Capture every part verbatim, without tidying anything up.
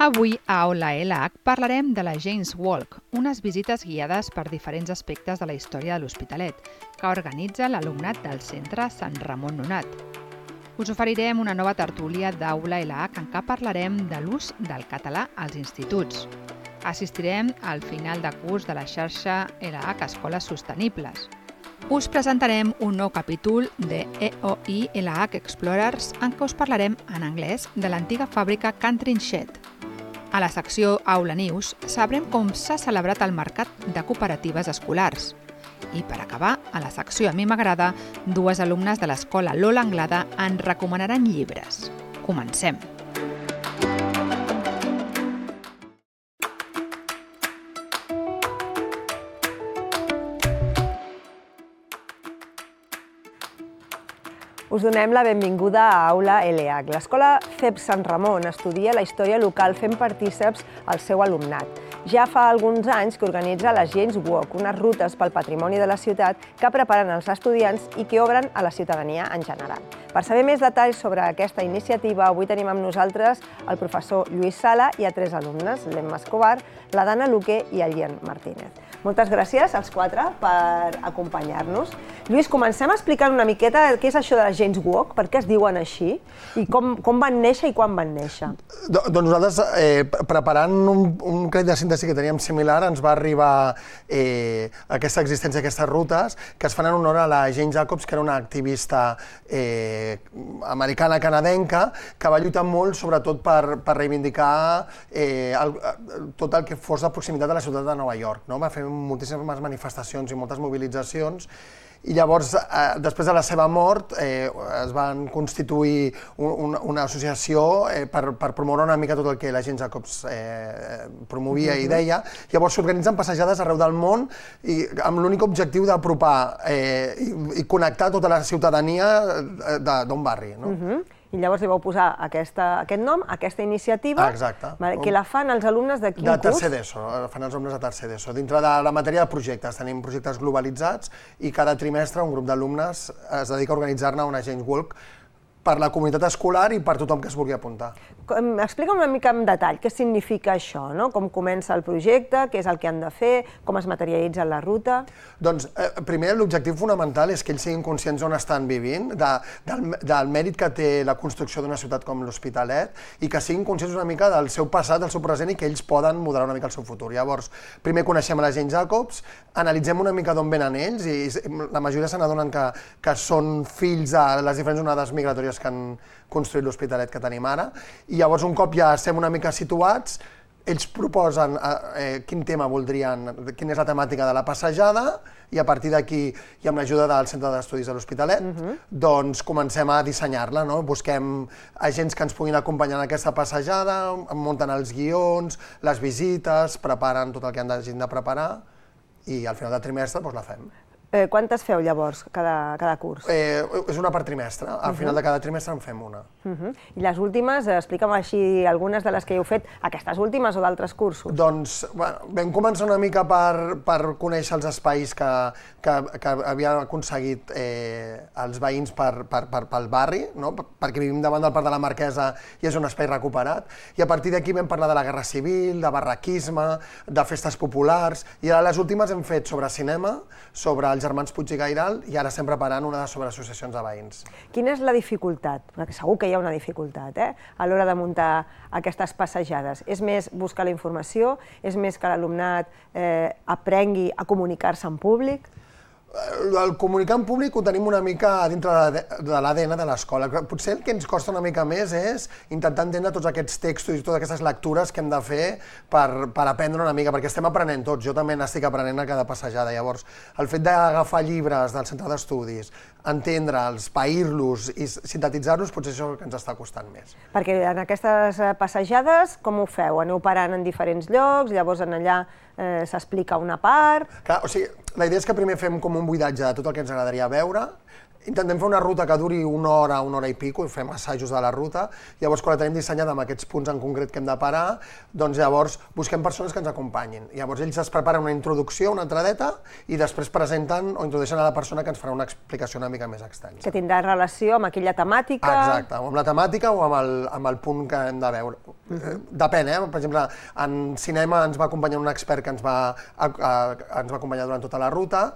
Avui a Aula L H parlarem de la Jane's Walk, unes visites guiades per diferents aspectes de la història de l'Hospitalet, que organitza l'alumnat del Centre Sant Ramon Nonat. Us oferirem una nova tertúlia d'Aula L H en què parlarem de l'ús del català als instituts. Assistirem al final de curs de la xarxa L H Escoles Sostenibles. Us presentarem un nou capítol de E O I L H Explorers en què us parlarem en anglès de l'antiga fàbrica Cantrin Shed. A la secció Aula News sabrem com s'ha celebrat el mercat de cooperatives escolars. I per acabar, a la secció A mi m'agrada, dues alumnes de l'escola Lola Anglada en recomanaran llibres. Comencem! Us donem la benvinguda a Aula L H. L'escola C E P Sant Ramon estudia la història local fent partíceps al seu alumnat. Ja fa alguns anys que organitza la Jane's Walk, unes rutes pel patrimoni de la ciutat que preparen els estudiants i que obren a la ciutadania en general. Per saber més detalls sobre aquesta iniciativa, avui tenim amb nosaltres el professor Lluís Sala i a tres alumnes, l'Emma Escobar, la Dana Luque i el Lian Martínez. Moltes gràcies als quatre per acompanyar-nos. Lluís, comencem explicant una miqueta què és això de la Jane's Walk, per què es diuen així i com, com van néixer i quan van néixer. Doncs nosaltres, eh, preparant un, un crèdit de síntesi que teníem similar, ens va arribar eh, aquesta existència d'aquestes rutes que es fan en honor a la Jane Jacobs, que era una activista eh, americana-canadenca que va lluitar molt, sobretot per, per reivindicar eh, el, tot el que fos de proximitat de la ciutat de Nova York, no? Va fer moltíssimes manifestacions i moltes mobilitzacions. I llavors, eh, després de la seva mort, eh, es van constituir un, una, una associació eh, per, per promoure una mica tot el que la Jane Jacobs eh, promovia i deia. Llavors s'organitzen passejades arreu del món i amb l'únic objectiu d'apropar eh, i, i connectar tota la ciutadania d'un barri. No? Uh-huh. I llavors li vau posar aquesta, aquest nom, aquesta iniciativa, exacte. Que la fan els alumnes de quin de curs? De tercer d'ESO, fan els alumnes de tercer d'ESO. Dintre de la matèria de projectes, tenim projectes globalitzats i cada trimestre un grup d'alumnes es dedica a organitzar-ne una Jane's Walk per la comunitat escolar i per tothom que es vulgui apuntar. Explica una mica en detall què significa això, no? Com comença el projecte, què és el que han de fer, com es materialitza la ruta... Doncs, eh, primer, l'objectiu fonamental és que ells siguin conscients d'on estan vivint, de, del, del mèrit que té la construcció d'una ciutat com l'Hospitalet i que siguin conscients una mica del seu passat, del seu present i que ells poden modelar una mica el seu futur. Llavors, primer coneixem a la Jane Jacobs, analitzem una mica d'on venen ells i la majoria se n'adonen que, que són fills de les diferents onades migratòries que han construït l'Hospitalet que tenim ara, i llavors un cop ja estem una mica situats, ells proposen eh, quin tema voldrien, quina és la temàtica de la passejada, i a partir d'aquí, i amb l'ajuda del Centre d'Estudis de l'Hospitalet, uh-huh. doncs comencem a dissenyar-la, no? Busquem agents que ens puguin acompanyar en aquesta passejada, munten els guions, les visites, preparen tot el que han de preparar, i al final del trimestre doncs la fem. Eh, quantes feu llavors, cada, cada curs? Eh, és una per trimestre, al uh-huh. final de cada trimestre en fem una. Uh-huh. I les últimes, explica'm així algunes de les que heu fet, aquestes últimes o d'altres cursos? Doncs, bueno, vam començar una mica per, per conèixer els espais que, que, que havien aconseguit eh, els veïns per, per, per, pel barri, no? Perquè vivim davant del Parc de la Marquesa i és un espai recuperat, i a partir d'aquí vam parlar de la Guerra Civil, de barraquisme, de festes populars, i ara les últimes hem fet sobre cinema, sobre els germans Puig i Gairal, i ara estem preparant una sobre associacions de veïns. Quina és la dificultat? Perquè segur que hi ha una dificultat, eh? A l'hora de muntar aquestes passejades. És més buscar la informació? És més que l'alumnat eh, aprengui a comunicar-se en públic? El comunicar en públic ho tenim una mica dintre de l'A D N de l'escola. Potser el que ens costa una mica més és intentar entendre tots aquests textos i totes aquestes lectures que hem de fer per, per aprendre una mica, perquè estem aprenent tots. Jo també n'estic aprenent a cada passejada. Llavors, el fet d'agafar llibres del centre d'estudis, entendre'ls, pair-los i sintetitzar-los, potser això és el que ens està costant més. Perquè en aquestes passejades, com ho feu? Aneu parant en diferents llocs, llavors en allà s'explica una part... Clar, o sigui, la idea és que primer fem com un buidatge de tot el que ens agradaria veure, intentem fer una ruta que duri una hora, una hora i pico, i fem assajos de la ruta, llavors quan la tenim dissenyada amb aquests punts en concret que hem de parar, doncs llavors busquem persones que ens acompanyin. Llavors ells es preparen una introducció, una entradeta, i després presenten o introdueixen a la persona que ens farà una explicació una mica més extensa. Que tindrà relació amb aquella temàtica... Exacte, o amb la temàtica o amb el, amb el punt que hem de veure. Uh-huh. Depèn, eh? Per exemple, en cinema ens va acompanyar un expert que ens va, a, a, ens va acompanyar durant tota la ruta.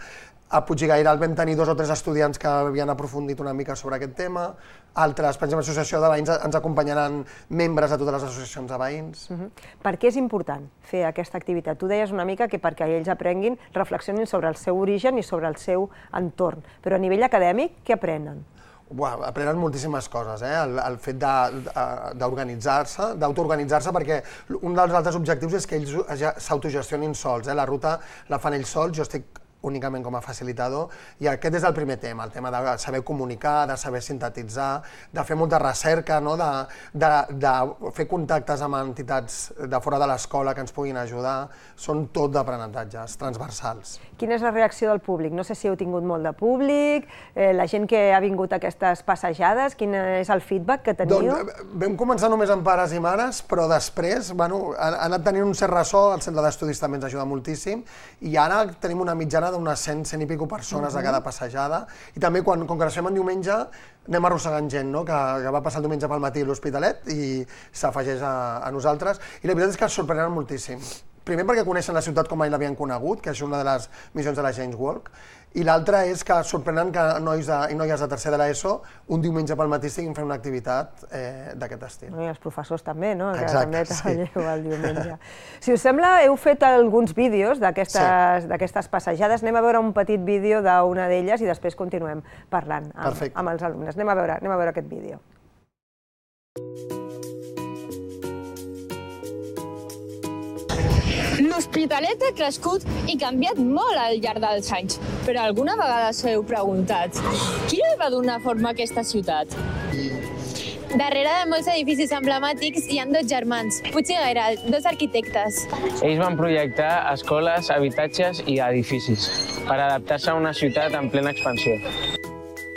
A Puigdegairal vam tenir dos o tres estudiants que havien aprofundit una mica sobre aquest tema. Altres, per exemple, l'associació de veïns ens acompanyaran membres de totes les associacions de veïns. Uh-huh. Per què és important fer aquesta activitat? Tu deies una mica que perquè ells aprenguin, reflexionin sobre el seu origen i sobre el seu entorn. Però a nivell acadèmic, què aprenen? Uau, aprenen moltíssimes coses, eh? el, el fet d'organitzar-se, d'autoorganitzar-se, perquè un dels altres objectius és que ells s'autogestionin sols. Eh? La ruta la fan ells sols, jo estic únicament com a facilitador, i aquest és el primer tema, el tema de saber comunicar, de saber sintetitzar, de fer molta recerca, no? de, de, de fer contactes amb entitats de fora de l'escola que ens puguin ajudar, són tot d'aprenentatges transversals. Quina és la reacció del públic? No sé si heu tingut molt de públic, eh, la gent que ha vingut a aquestes passejades, quin és el feedback que teniu? Doncs vam començar només amb pares i mares, però després bueno, ha, ha anat tenint un cert ressò, el centre d'estudis també ens ajuda moltíssim, i ara tenim una mitjana d'unes cent, cent i pico persones a cada passejada, i també quan, com que ens fem en diumenge, anem arrossegant gent, no? que, que va passar el diumenge pel matí a l'Hospitalet i s'afegeix a, a nosaltres, i la veritat és que ens sorprenen moltíssim. Primer perquè coneixen la ciutat com mai l'havien conegut, que és una de les missions de la Janes Walk, i l'altra és que sorprenen que nois de, i noies de tercer de l'ESO un diumenge pel matí estiguin fent una activitat eh, d'aquest estil. I els professors també, no? Que Exacte, també treballeu el diumenge. Si us sembla, heu fet alguns vídeos d'aquestes sí. passejades. Anem a veure un petit vídeo d'una d'elles i després continuem parlant amb, amb els alumnes. Anem a veure, anem a veure aquest vídeo. L'Hospitalet ha crescut i canviat molt al llarg dels anys, però alguna vegada us heu preguntat qui li va donar forma a aquesta ciutat? Darrere de molts edificis emblemàtics hi ha dos germans, Puig i Gairal, dos arquitectes. Ells van projectar escoles, habitatges i edificis per adaptar-se a una ciutat en plena expansió.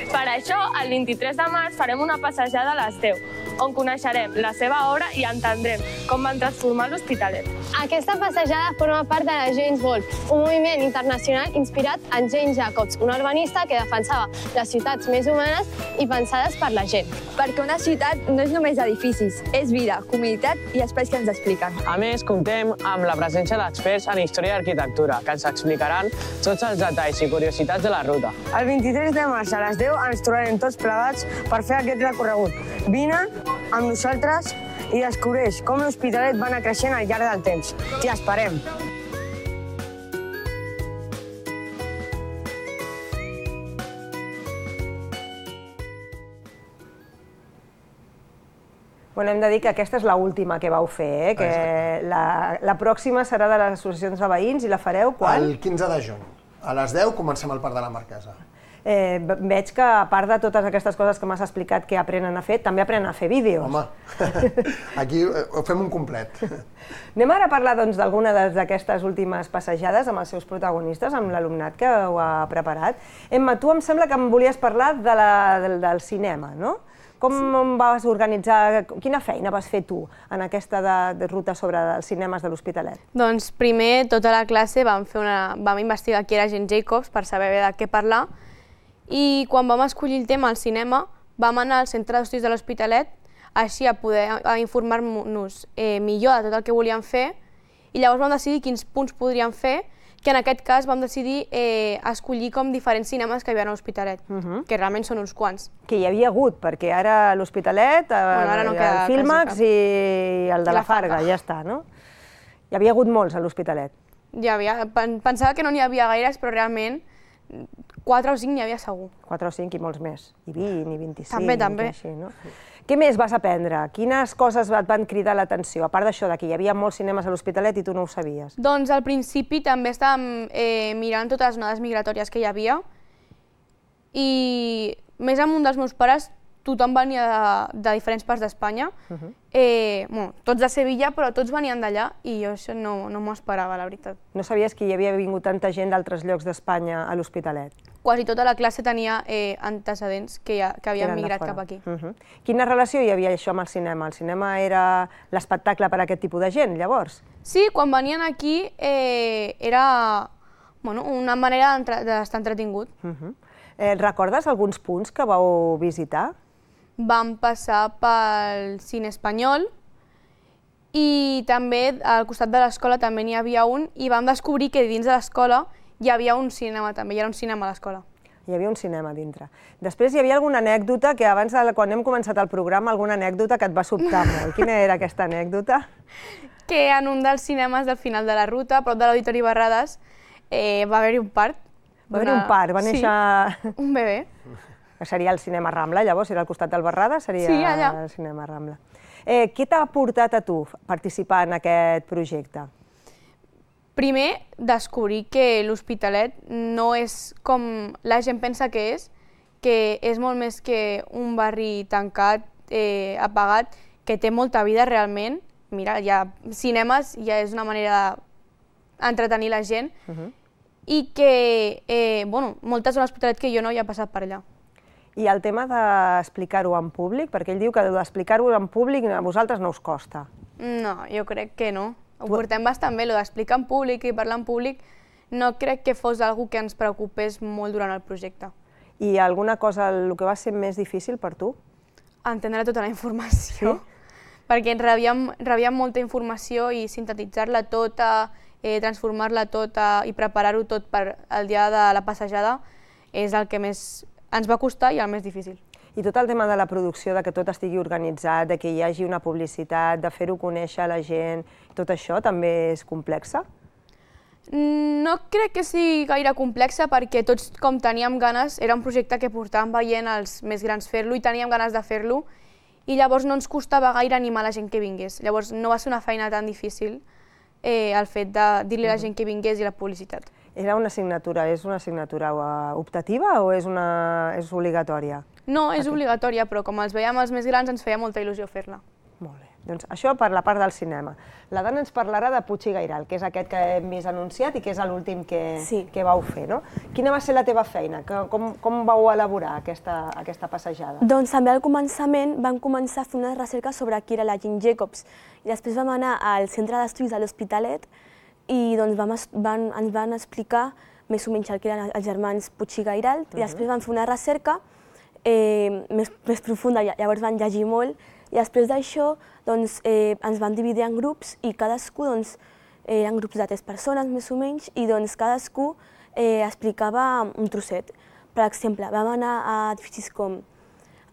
Per això, el vint-i-tres de març farem una passejada a les deu, on coneixerem la seva obra i entendrem com van transformar l'Hospitalet. Aquesta passejada forma part de la Janes Walk, un moviment internacional inspirat en Jane Jacobs, una urbanista que defensava les ciutats més humanes i pensades per la gent. Perquè una ciutat no és només edificis, és vida, comunitat i espais que ens expliquen. A més, comptem amb la presència d'experts en història i arquitectura, que ens explicaran tots els detalls i curiositats de la ruta. El vint-i-tres de març a les deu ens trobarem tots plegats per fer aquest recorregut. Vine amb nosaltres i descobreix com l'Hospitalet va anar creixent al llarg del temps. T'hi esperem! Bueno, hem de dir que aquesta és l'última que vau fer, eh? que la, la pròxima serà de les associacions de veïns i la fareu quan? El quinze de juny. A les deu comencem al Parc de la Marquesa. Eh, veig que, a part de totes aquestes coses que m'has explicat que aprenen a fer, també aprenen a fer vídeos. Home, aquí ho fem un complet. Anem ara a parlar doncs, d'alguna d'aquestes últimes passejades amb els seus protagonistes, amb l'alumnat que ho ha preparat. Emma, tu em sembla que em volies parlar de la, del, del cinema, no? Com sí. vas organitzar, quina feina vas fer tu en aquesta de, de ruta sobre els cinemes de l'Hospitalet? Doncs primer, tota la classe vam, fer una, vam investigar qui era Jane Jacobs per saber bé de què parlar, i quan vam escollir el tema al cinema vam anar al centre d'estudis de l'Hospitalet així a poder informar-nos eh, millor de tot el que volíem fer, i llavors vam decidir quins punts podríem fer, que en aquest cas vam decidir eh, escollir com diferents cinemes que hi havia a l'Hospitalet, uh -huh. que realment són uns quants. Que hi havia hagut, perquè ara l'Hospitalet, bueno, ara no el Filmax i el de la, la Farga, ja està, no? Hi havia hagut molts a l'Hospitalet. Hi havia, pensava que no n'hi havia gaires, però realment quatre o cinc n'hi havia segur. quatre o cinc i molts més, i vint, i vint-i-cinc. També, també. Així, no? Què més vas aprendre? Quines coses et van cridar l'atenció, a part d'això, que hi havia molts cinemes a l'Hospitalet i tu no ho sabies? Doncs al principi també estàvem eh, mirant totes les onades migratòries que hi havia, i més amb un dels meus pares tothom venia de, de diferents parts d'Espanya, uh-huh. eh, bueno, tots de Sevilla, però tots venien d'allà i jo això no, no m'ho esperava, la veritat. No sabies que hi havia vingut tanta gent d'altres llocs d'Espanya a l'Hospitalet? Quasi tota la classe tenia eh, antecedents que, ja, que havien migrat cap aquí. Uh-huh. Quina relació hi havia això amb el cinema? El cinema era l'espectacle per a aquest tipus de gent, llavors? Sí, quan venien aquí eh, era bueno, una manera d'estar entretingut. Uh-huh. eh, recordes alguns punts que vau visitar? Vam passar pel cine espanyol i també al costat de l'escola també n'hi havia un i vam descobrir que dins de l'escola hi havia un cinema també, hi era un cinema a l'escola. Hi havia un cinema dintre. Després hi havia alguna anècdota que abans, quan hem començat el programa, alguna anècdota que et va sobtar molt. Quina era aquesta anècdota? Que en un dels cinemes del final de la ruta, a prop de l'Auditori Barrades, eh, va haver-hi un part. Va haver-hi un part, va néixer... Sí, un bebè. Seria el cinema Rambla, llavors, era al costat del Barrades, seria sí, allà. El cinema Rambla. Eh, què t'ha portat a tu participar en aquest projecte? Primer, descobrir que l'Hospitalet no és com la gent pensa que és, que és molt més que un barri tancat, eh, apagat, que té molta vida realment. Mira, hi ha cinemes, ja és una manera d'entretenir la gent, uh-huh. i que, eh, bueno, moltes de l'Hospitalet que jo no hi he passat per allà. I el tema d'explicar-ho en públic, perquè ell diu que d'explicar-ho en públic a vosaltres no us costa. No, jo crec que no. Ho portem bastant bé, el d'explicar en públic i parlar en públic no crec que fos algo que ens preocupés molt durant el projecte. I alguna cosa, el que va ser més difícil per tu? Entendre tota la informació, sí? Perquè rebíem, rebíem molta informació i sintetitzar-la tota, eh, transformar-la tota i preparar-ho tot per al dia de la passejada és el que més ens va costar i el més difícil. I tot el tema de la producció, de que tot estigui organitzat, de que hi hagi una publicitat, de fer-ho conèixer a la gent, tot això també és complexa? No crec que sigui gaire complexa perquè tots com teníem ganes, era un projecte que portàvem veient els més grans fer-lo i teníem ganes de fer-lo i llavors no ens costava gaire animar la gent que vingués. Llavors no va ser una feina tan difícil eh, el fet de dir-li a la gent que vingués i la publicitat. Era una assignatura, és una assignatura optativa o és, una, és obligatòria? No, és obligatòria, però com els veiem els més grans ens feia molta il·lusió fer-la. Molt bé. Doncs això per la part del cinema. La Dana ens parlarà de Puig i Gairal, que és aquest que hem vist anunciat i que és l'últim que, sí. que vau fer, no? Quina va ser la teva feina? Com, com vau elaborar aquesta, aquesta passejada? Doncs també al començament vam començar a fer una recerca sobre qui era la Jane Jacobs i després vam anar al centre d'estudis de l'Hospitalet i doncs vam, van, ens van explicar més o menys el que eren els germans Puig i Gairal i després vam fer una recerca eh, més, més profunda, llavors van llegir molt i després d'això doncs, eh, ens van dividir en grups i cadascú doncs, eh, eren grups de tres persones més o menys i doncs cadascú eh, explicava un trosset. Per exemple, vam anar a edificis com el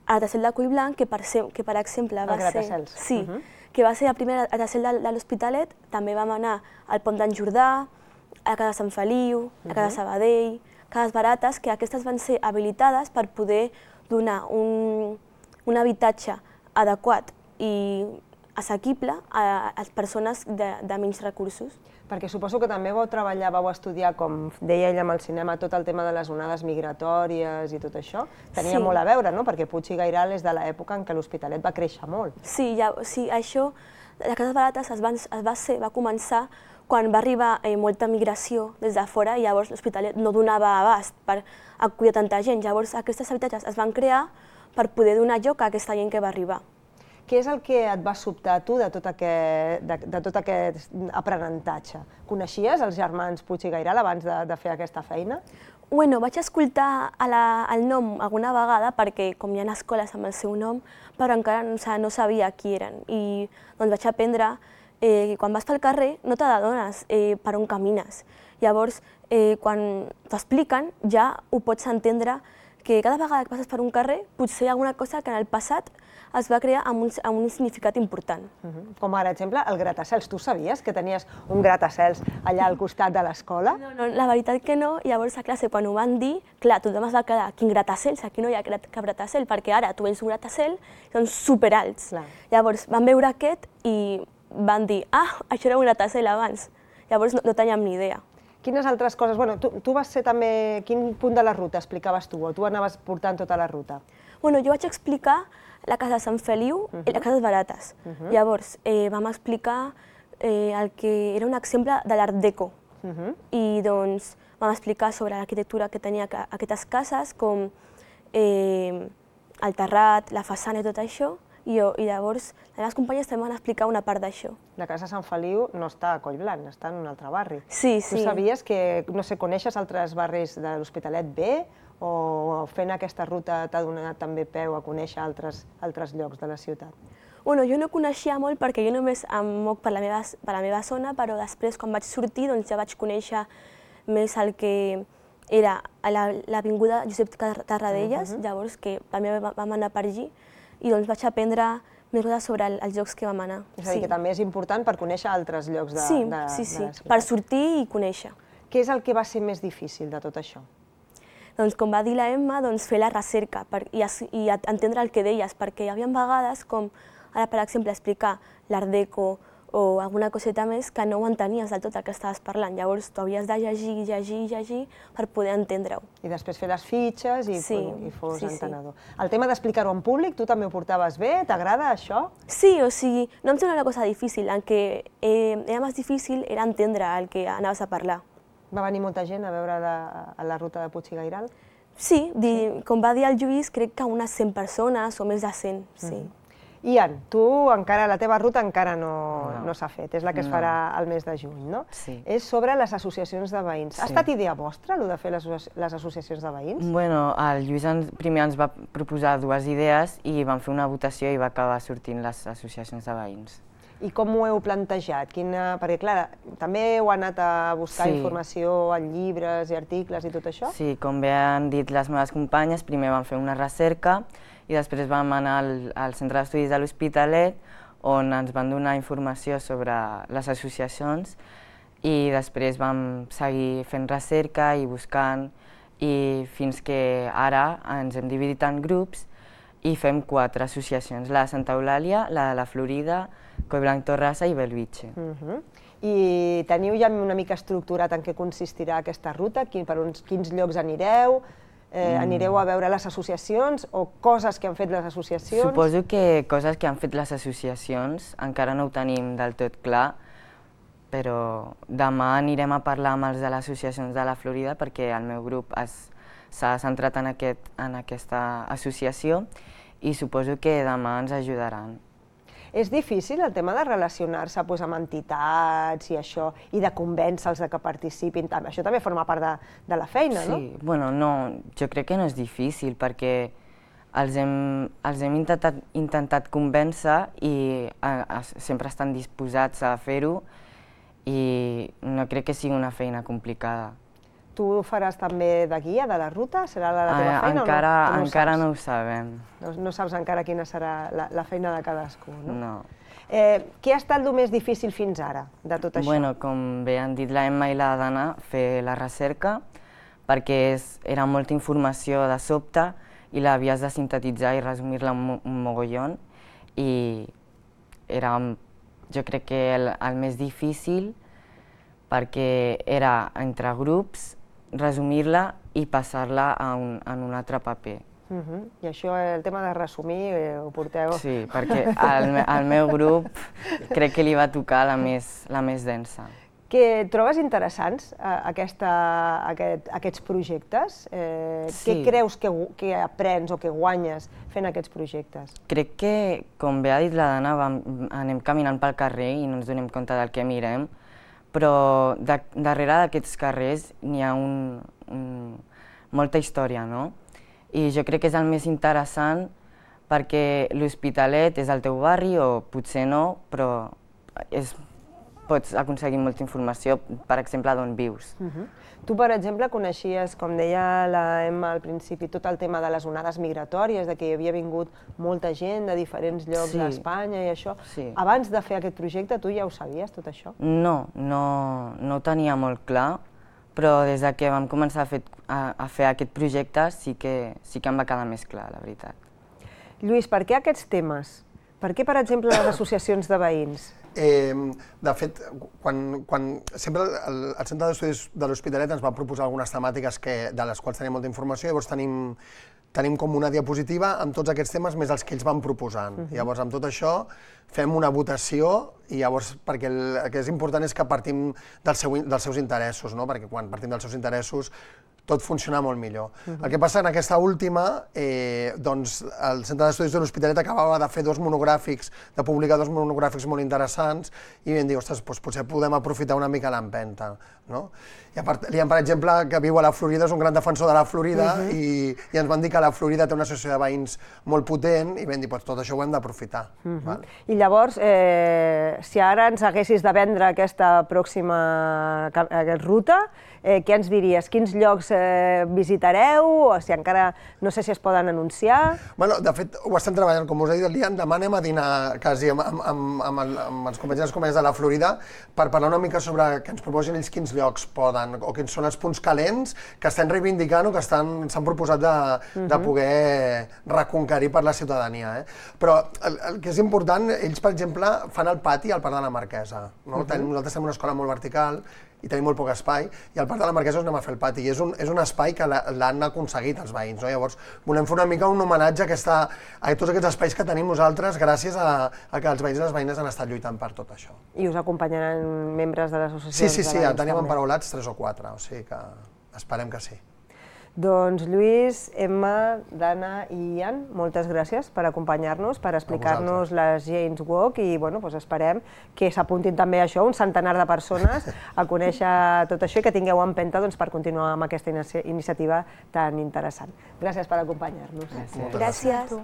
Gratacel de Collblanc, que per, ser, que per exemple va el ser, sí, uh -huh. que va ser el primer Gratacel de, de l'Hospitalet, també vam anar al Pont d'en Jordà, a Casa Sant Feliu, a Casa Sabadell, Cases Barates, que aquestes van ser habilitades per poder donar un, un habitatge adequat i assequible a, a les persones de, de menys recursos. Perquè suposo que també vau treballar, vau estudiar, com deia ella amb el cinema, tot el tema de les onades migratòries i tot això. Tenia sí. molt a veure, no? Perquè Puig i Gairal és de l'època en què l'Hospitalet va créixer molt. Sí, ja, sí això, les Cases Barates es, van, es va, ser, va començar quan va arribar eh, molta migració des de fora i llavors l'Hospitalet no donava abast per acollir tanta gent. Llavors aquestes habitatges es van crear per poder donar lloc a aquesta gent que va arribar. Què és el que et va sobtar a tu de tot aquest, de, de tot aquest aprenentatge? Coneixies els germans Puig i Gairal abans de, de fer aquesta feina? Bueno, vaig escoltar a la, el nom alguna vegada perquè com hi ha escoles amb el seu nom, però encara no, no sabia qui eren. I doncs vaig aprendre eh, que quan vas pel carrer no t'adones eh, per on camines. Llavors, eh, quan t'expliquen ja ho pots entendre que cada vegada que passes per un carrer potser hi ha alguna cosa que en el passat es va crear amb un, amb un significat important. Uh-huh. Com per exemple el gratacels. Tu sabies que tenies un gratacels allà al costat de l'escola? No, no, la veritat que no. Llavors a classe quan ho van dir, clar, tothom es va quedar, quin gratacels? Aquí no hi ha cap gratacel, perquè ara tu vens un gratacel i són superalts. Clar. Llavors van veure aquest i van dir, ah, això era un gratacel abans. Llavors no, no teníem ni idea. Quines altres coses? Bueno, tu, tu vas ser també... Quin punt de la ruta explicaves tu? O tu anaves portant tota la ruta? Bueno, jo vaig explicar la casa de Sant Feliu i les cases barates. Llavors, vam explicar el que era un exemple de l'Art Deco. I doncs vam explicar sobre l'arquitectura que tenia aquestes cases, com el terrat, la façana i tot això. I llavors les meves companyes també van explicar una part d'això. La casa de Sant Feliu no està a Collblanc, està en un altre barri. Sí, sí. Tu sabies que, no sé, coneixes altres barris de l'Hospitalet bé? O fent aquesta ruta t'ha donat també peu a conèixer altres llocs de la ciutat? Bueno, jo no coneixia molt perquè jo només em moc per la meva zona, però després, quan vaig sortir, ja vaig conèixer més el que era l'avinguda Josep Tarradellas, llavors que també vam anar per allí, i doncs vaig aprendre més coses sobre els llocs que vam anar. És a dir, que també és important per conèixer altres llocs de la ciutat. Sí, sí, sí, per sortir i conèixer. Què és el que va ser més difícil de tot això? Doncs, com va dir la Emma, fer la recerca i entendre el que deies, perquè hi havia vegades com, ara per exemple, explicar l'Art Deco o alguna coseta més que no ho entenies del tot el que estaves parlant. Llavors, tu havies de llegir, llegir, llegir per poder entendre-ho. I després fer les fitxes i fos entenedor. El tema d'explicar-ho en públic, tu també ho portaves bé? T'agrada això? Sí, o sigui, no em sembla una cosa difícil. El que era més difícil era entendre el que anaves a parlar. Va venir molta gent a veure la ruta de Puig i Gairal? Sí, com va dir el Lluís, crec que unes cent persones o més de cent, sí. Ian, tu encara, la teva ruta encara no s'ha fet, és la que es farà el mes de juny, no? Sí. És sobre les associacions de veïns. Ha estat idea vostra, el de fer les associacions de veïns? Bueno, el Lluís primer ens va proposar dues idees i vam fer una votació i va acabar sortint les associacions de veïns. I com ho heu plantejat? Perquè, clar, també heu anat a buscar informació en llibres i articles i tot això? Sí, com bé han dit les meves companyes, primer vam fer una recerca i després vam anar al Centre d'Estudis de l'Hospitalet on ens van donar informació sobre les associacions i després vam seguir fent recerca i buscant i fins que ara ens hem dividit en grups i fem quatre associacions, la de Santa Eulàlia, la de la Florida, Collblanc Torrassa i Bellvitge. I teniu ja una mica estructurat en què consistirà aquesta ruta? Per quins llocs anireu? Anireu a veure les associacions o coses que han fet les associacions? Suposo que coses que han fet les associacions, encara no ho tenim del tot clar, però demà anirem a parlar amb els de les associacions de la Florida perquè el meu grup s'ha centrat en aquesta associació i suposo que demà ens ajudaran. És difícil el tema de relacionar-se amb entitats i això, i de convèncer-los que participin. Això també forma part de la feina, no? Sí, bueno, no, jo crec que no és difícil perquè els hem intentat convèncer i sempre estan disposats a fer-ho i no crec que sigui una feina complicada. Tu faràs també de guia de la ruta? Serà la teva feina o no? Encara no ho sabem. No saps encara quina serà la feina de cadascú, no? No. Què ha estat el més difícil fins ara de tot això? Bueno, com bé han dit la Emma i la Dana, fer la recerca, perquè era molta informació de sobte i l'havies de sintetitzar i resumir-la un mogollon i era, jo crec que el més difícil perquè era entre grups resumir-la i passar-la en un altre paper. I això, el tema de resumir, ho porteu? Sí, perquè al meu grup crec que li va tocar la més densa. Que trobes interessants aquests projectes? Què creus que aprens o que guanyes fent aquests projectes? Crec que, com bé ha dit la Dana, anem caminant pel carrer i no ens donem compte del que mirem, però darrere d'aquests carrers n'hi ha molta història, no? I jo crec que és el més interessant perquè l'Hospitalet és el teu barri o potser no, però pots aconseguir molta informació, per exemple, d'on vius. Tu, per exemple, coneixies, com deia la Emma al principi, tot el tema de les onades migratòries, que hi havia vingut molta gent de diferents llocs d'Espanya i això. Abans de fer aquest projecte, tu ja ho sabies, tot això? No, no ho tenia molt clar, però des que vam començar a fer aquest projecte sí que em va quedar més clar, la veritat. Lluís, per què aquests temes? Per què, per exemple, les associacions de veïns? De fet, sempre el Centre d'Estudis de l'Hospitalet ens va proposar algunes temàtiques de les quals tenim molta informació, llavors tenim tenim com una diapositiva amb tots aquests temes més els que ells van proposant. Llavors, amb tot això, fem una votació i llavors, perquè el que és important és que partim dels seus interessos, perquè quan partim dels seus interessos tot funciona molt millor. El que passa en aquesta última, doncs el Centre d'Estudis de l'Hospitalet acabava de fer dos monogràfics, de publicar dos monogràfics molt interessants i vam dir, ostres, potser podem aprofitar una mica l'empenta. Liam, per exemple, que viu a la Florida, és un gran defensor de la Florida i ens van dir que la Florida té una associació de veïns molt potent i vam dir, tot això ho hem d'aprofitar. I llavors, si ara ens haguessis de vendre aquesta pròxima ruta, què ens diries? Quins llocs visitareu? O si encara no sé si es poden anunciar? De fet, ho estem treballant, com us ha dit el Liam, demà anem a dinar quasi amb els companys i les companyes de la Florida per parlar una mica sobre que ens proposin ells quins llocs poden o quins són els punts calents que estan reivindicant o que s'han proposat de poder reconquerir per la ciutadania. Però el que és important, ells, per exemple, fan el pati al Parc de la Marquesa. Nosaltres tenim una escola molt vertical i tenim molt poc espai, i al Parc de la Marquesa us anem a fer el pati, i és un espai que l'han aconseguit els veïns. Llavors, volem fer una mica un homenatge a tots aquests espais que tenim nosaltres gràcies a que els veïns i les veïnes han estat lluitant per tot això. I us acompanyaran membres de les associacions de veïns? Sí, sí, sí, tenim també. Emparaulats tres o quatre, o sigui que esperem que sí. Doncs Lluís, Emma, Dana i Ian, moltes gràcies per acompanyar-nos, per explicar-nos les Jane's Walk i esperem que s'apuntin també a això, un centenar de persones, a conèixer tot això i que tingueu empenta per continuar amb aquesta iniciativa tan interessant. Gràcies per acompanyar-nos. Gràcies.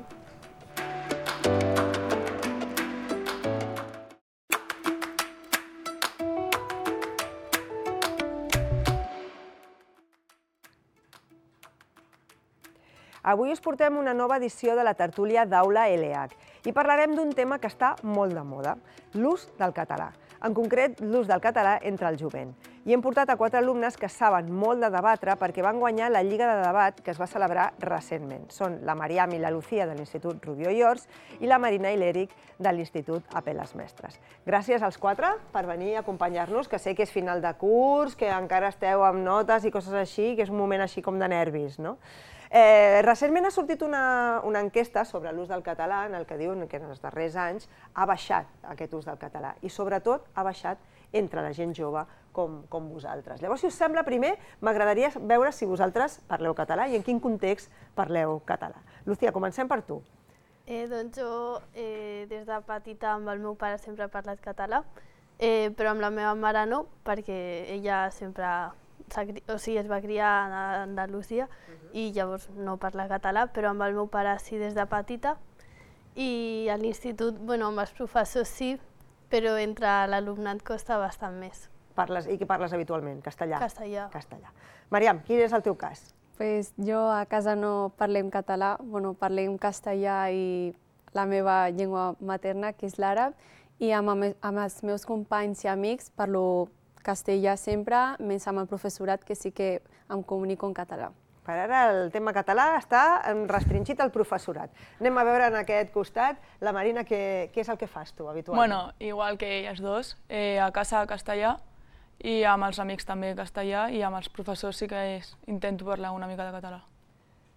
Avui us portem una nova edició de la tertúlia d'Aula L H i parlarem d'un tema que està molt de moda, l'ús del català. En concret, l'ús del català entre el jovent. I hem portat a quatre alumnes que saben molt de debatre perquè van guanyar la Lliga de Debat que es va celebrar recentment. Són la Mariam i la Lucía de l'Institut Rubió i Ors i la Marina i l'Eric de l'Institut Apel·les Mestres. Gràcies als quatre per venir a acompanyar-nos, que sé que és final de curs, que encara esteu amb notes i coses així, que és un moment així com de nervis, no? Recentment ha sortit una enquesta sobre l'ús del català en el que diuen que en els darrers anys ha baixat aquest ús del català i sobretot ha baixat entre la gent jove com vosaltres. Llavors, si us sembla, primer m'agradaria veure si vosaltres parleu català i en quin context parleu català. Lucía, comencem per tu. Doncs jo des de petita amb el meu pare sempre he parlat català, però amb la meva mare no, perquè ella sempre es va criar a Andalusia i llavors no parla català, però amb el meu pare sí des de petita. I a l'institut, amb els professors sí, però entre l'alumnat costa bastant més. I què parles habitualment? Castellà? Castellà. Mariam, quin és el teu cas? Jo a casa no parlem català, parlem castellà i la meva llengua materna, que és l'àrab, i amb els meus companys i amics parlo castellà sempre, menys amb el professorat, que sí que em comunico en català. Per ara el tema català està restringit al professorat. Anem a veure en aquest costat. La Marina, què és el que fas tu habitualment? Bueno, igual que elles dos, a casa castellà i amb els amics també castellà i amb els professors sí que intento parlar una mica de català.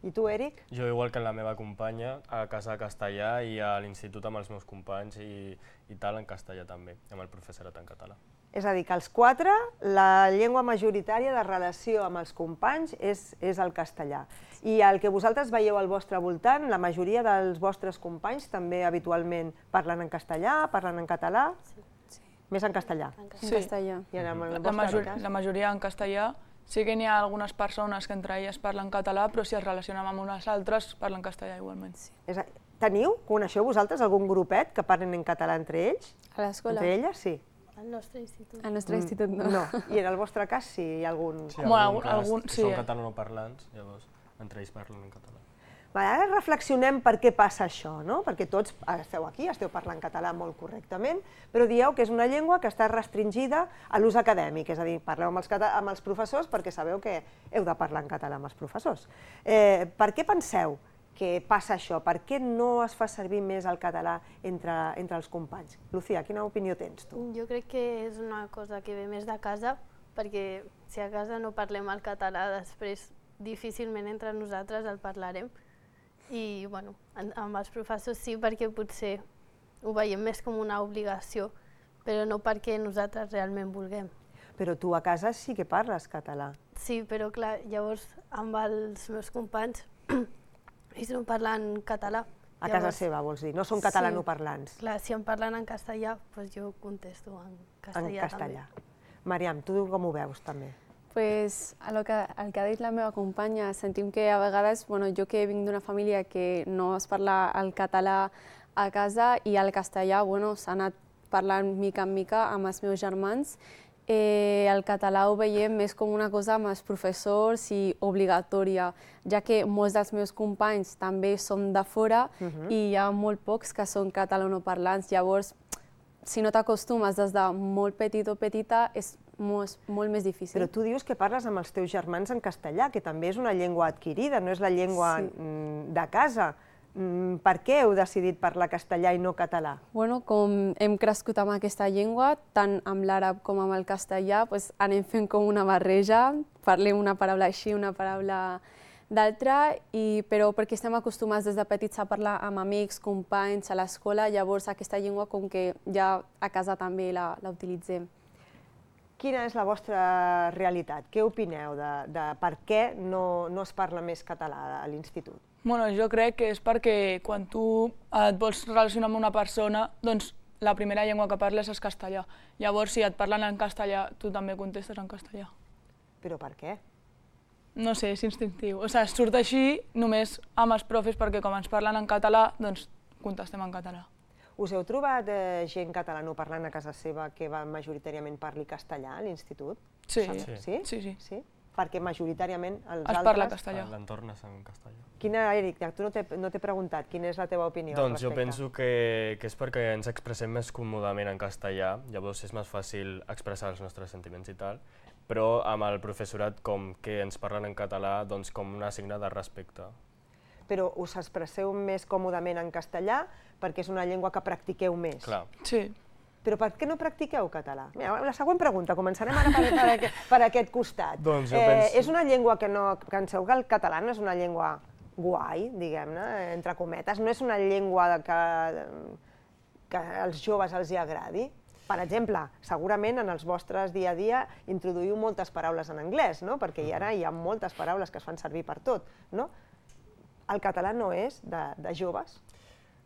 I tu, Eric? Jo, igual que la meva companya, a casa castellà i a l'institut amb els meus companys i tal en castellà també, amb el professorat en català. És a dir, que els quatre, la llengua majoritària de relació amb els companys és el castellà. I el que vosaltres veieu al vostre voltant, la majoria dels vostres companys també habitualment parlen en castellà, parlen en català? Sí. Més en castellà? En castellà. La majoria en castellà. Sí que n'hi ha algunes persones que entre elles parlen català, però si es relacionen amb unes altres parlen castellà igualment. Teniu, coneixeu vosaltres algun grupet que parlen en català entre ells? A l'escola? Entre elles, sí. Al nostre institut. Al nostre institut no. No. I en el vostre cas sí hi ha algun... Sí, algun cas, són catalanoparlants, llavors entre ells parlen en català. Ara reflexionem per què passa això, no? Perquè tots esteu aquí, esteu parlant català molt correctament, però dieu que és una llengua que està restringida a l'ús acadèmic, és a dir, parleu amb els professors perquè sabeu que heu de parlar en català amb els professors. Per què penseu que passa això? Per què no es fa servir més el català entre, entre els companys? Lucía, quina opinió tens tu? Jo crec que és una cosa que ve més de casa, perquè si a casa no parlem el català, després difícilment entre nosaltres el parlarem. I bueno, amb els professors sí, perquè potser ho veiem més com una obligació, però no perquè nosaltres realment vulguem. Però tu a casa sí que parles català. Sí, però clar, llavors amb els meus companys ells no parlen català. A casa seva, vols dir? No són catalanoparlants. Clar, si em parlen en castellà, doncs jo contesto en castellà. En castellà. Mariam, tu com ho veus també? Pues, el, que, el que ha dit la meva companya, sentim que a vegades, bueno, jo que vinc d'una família que no es parla el català a casa i el castellà bueno, s'ha anat parlant mica en mica amb els meus germans, Eh, el català ho veiem més com una cosa amb els professors i obligatòria, ja que molts dels meus companys també són de fora uh-huh. i hi ha molt pocs que són catalanoparlants. Llavors, si no t'acostumes des de molt petit o petita, és molt, molt més difícil. Però tu dius que parles amb els teus germans en castellà, que també és una llengua adquirida, no és la llengua sí. de casa. Per què heu decidit parlar castellà i no català? Bueno, com hem crescut amb aquesta llengua, tant amb l'àrab com amb el castellà, doncs anem fent com una barreja, parlem una paraula així, una paraula d'altra, però perquè estem acostumats des de petits a parlar amb amics, companys, a l'escola, llavors aquesta llengua com que ja a casa també la, la utilitzem. Quina és la vostra realitat? Què opineu de, de per què no, no es parla més català a l'institut? Bueno, jo crec que és perquè quan tu et vols relacionar amb una persona, doncs la primera llengua que parles és castellà. Llavors, si et parlen en castellà, tu també contestes en castellà. Però per què? No sé, és instintiu. O sigui, surt així només amb els profes perquè com ens parlen en català, doncs contestem en català. Us heu trobat eh, gent catalanoparlant a casa seva que va majoritàriament parli castellà a l'institut? Sí. Sí? Sí, sí. sí? Perquè majoritàriament els es altres... parla castellà. L'entorn és en castellà. Quina, Eric, tu no t'he no preguntat, quina és la teva opinió doncs al respecte? Jo penso que, que és perquè ens expressem més còmodament en castellà, llavors és més fàcil expressar els nostres sentiments i tal, però amb el professorat com que ens parlen en català, doncs com una signe de respecte. Però us expresseu més còmodament en castellà perquè és una llengua que practiqueu més. Clar. Sí. Però per què no practiqueu català? Mira, la següent pregunta, començarem ara per, per, aquest, per aquest costat. Doncs jo eh, penso... És una llengua que no... Penseu que el català no és una llengua guai, diguem-ne, entre cometes, no és una llengua que, que als joves els hi agradi. Per exemple, segurament en els vostres dia a dia introduïu moltes paraules en anglès, no? Perquè ara hi ha moltes paraules que es fan servir per tot, no? El català no és de, de joves?